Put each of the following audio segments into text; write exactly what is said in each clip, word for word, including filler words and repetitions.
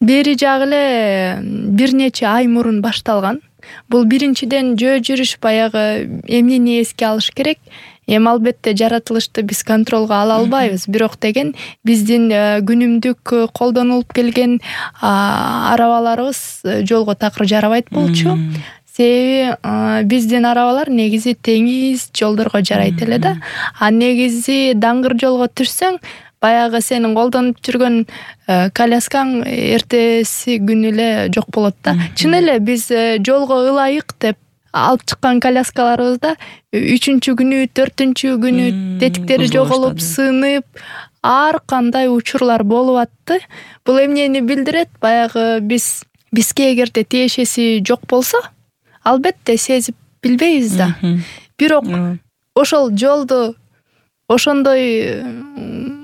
Бери жагы эле бир нече ай мурун башталган. Бул биринчиден жөө жүрүш баягы эмнени эске алыш керек. Эми албетте жаратылышты биз контролго ала албайбыз, бирок деген биздин күнүмдүк колдонулуп келген арабаларыбыз жолго такыр жарабайт болчу. Себеби биздин арабалар негизи теңиз жолдорго жарайт эле да. А негизи даңгыр жолго түшсөң, баягы сенин колдонуп жүргөн коляскаң эртеси күнү эле жок болот да. Чын эле биз жолго ылайык деп алып чыккан коляскаларыбызда үчүнчү күнү, төртүнчү күнү тетиктери жоголуп, сынып, ар кандай учурлар болуп атты. Бул эмнени билдирет? Баягы биз бизге эгерде тиешеси жок болсо, албетте сезип билбейбиз да. Бирок ошол жолду ошондой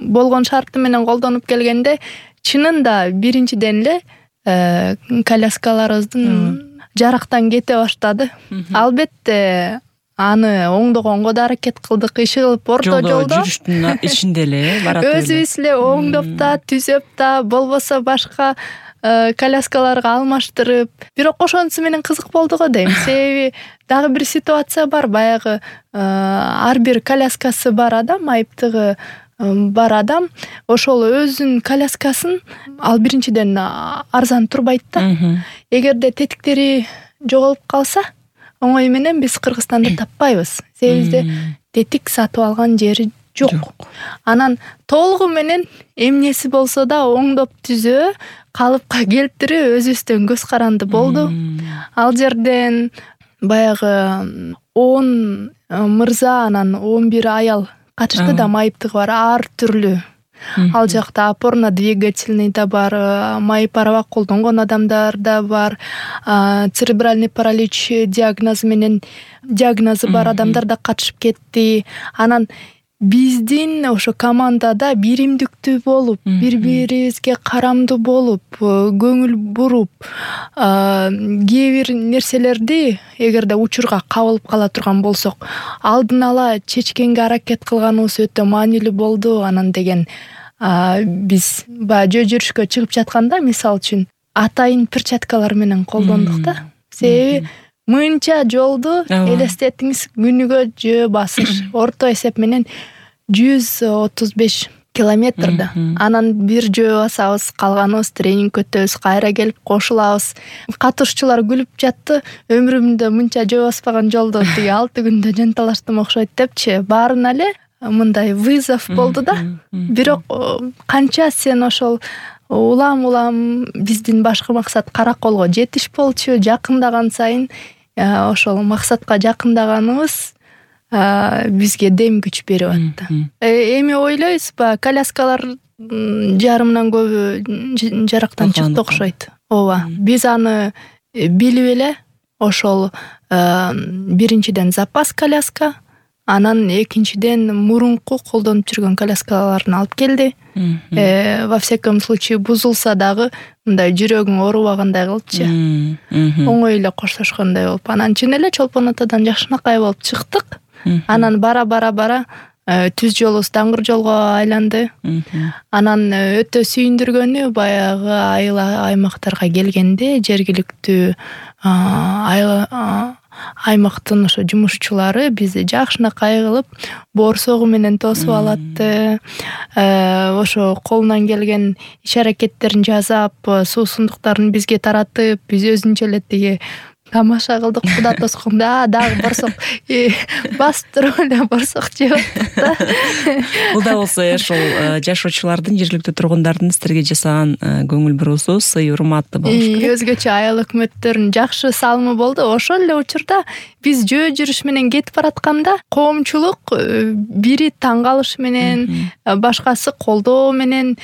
болгон шарты менен колдонуп келгенде, чынында биринчиден эле коляскаларыбыздын жарактан кете баштады. Албетте аны оңдогонго да аракет кылдык, иши кылып орто жолдо жүрүштүн ичинде эле барат эле. Өзүбүз эле оңдоп да, түзөп да, болбосо башка коляскаларга алмаштырып. Бирок ошонусу менен кызык болду го дейм. Себеби дагы бир ситуация бар. Баягы ар бир коляскасы бар адам, айыптыгы бар адам ошол өзүнүн коляскасын ал биринчиден арзан турбайт да. Эгерде тетиктери жоголуп калса, оңой менен биз Кыргызстанда таппайбыз. Себеби тетик сатып алган жери жок. Анан толугу менен эмнеси болсо да оңдоп түзөө, калыпка келтирүү өзүбүздөн көз каранды болду. Ал жерден баягы он мырза анан он бир аял катышты да, майыптыгы бар ар түрлүү. Ал жакта опорно-двигательный да бар, майып араба колдонгон адамдар да бар, церебральный паралич диагнозу менен диагнозу бар адамдар да катышып кетти. Анан биздин ошо командада биримдиктүү болуп, бири-бирибизге карамдуу болуп, көңүл буруп, кээ бир нерселерди эгерде учурга кабылып кала турган болсок, алдын ала чечкенге аракет кылганыбыз өтө маанилүү болду. Анан деген биз баягы жөө жүрүшкө чыгып жатканда, мисалы үчүн, атайын перчаткалар менен колдондук да. Себеби мынча жолду элестетиңиз, күнүгө жөө басыш, орто эсеп менен жүз отуз беш километр да. Анан бир жөө басабыз, калганыбыз тренинг өтөбүз, кайра келип кошулабыз. Катышуучулар күлүп жатты. Өмүрүмдө мынча жөө баспаган жолду тиги алты күндө жанталаштым окшойт депчи. Баарына эле мындай вызов болду да. Бирок канча сен ошол улам-улам биздин башкы максат Караколго жетиш болчу. Жакындаган сайын ошол максатка жакындаганыбыз бизге дем күч берип атты. Эми ойлойбуз, баягы коляскалар жарымынан көбү жарактан чыкты окшойт. Ооба, биз аны билип эле ошол биринчиден запас коляска, анан экинчиден мурунку колдонуп жүргөн коляскаларын алып келди. Во всяком случае бузулса дагы мындай жүрөгүң оорубагандай кылчу. Оңой эле коштошкондой болуп, анан чын эле Чолпон атадан жакшынакай болуп чыктык. Анан бара бара бара түз жолубуз даңгыр жолго айланды. Анан өтө сүйүндүргөнү баягы айыл аймактарга келгенде жергиликтүү аймактын ошо жумушчулары бизди жакшынакай кылып боорсогу менен тосуп алатты. Ошо колунан келген иш аракеттерин жасап, суусундуктарын бизге таратып, биз өзүнчө эле тиги тамаша кылдык, куда тосконда дагы борсок басып туруп эле борсок жеп аттык да. Бул да болсо ошол жашоочулардын, жергиликтүү тургундардын сиздерге жасаган көңүл буруусу, сый урматы болуш керек. Өзгөчө айыл өкмөттөрүнүн жакшы салымы болду. Ошол эле учурда биз жөө жүрүш менен кетип баратканда коомчулук бири таң калыш менен, башкасы колдоо менен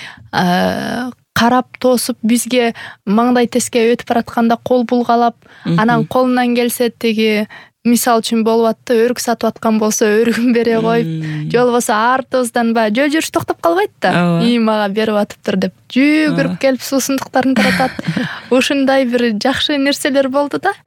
карап тосуп, бизге маңдай теске өтүп баратканда кол булгалап, анан колунан келсе тиги мисалы үчүн болуп атты, өрүк сатып аткан болсо өрүгүн бере коюп, же болбосо артыбыздан баягы жөө жүрүш токтоп калбайт да. И мага берип атыптыр деп жүгүрүп келип суусундуктарын таратат. Ушундай бир жакшы нерселер болду да.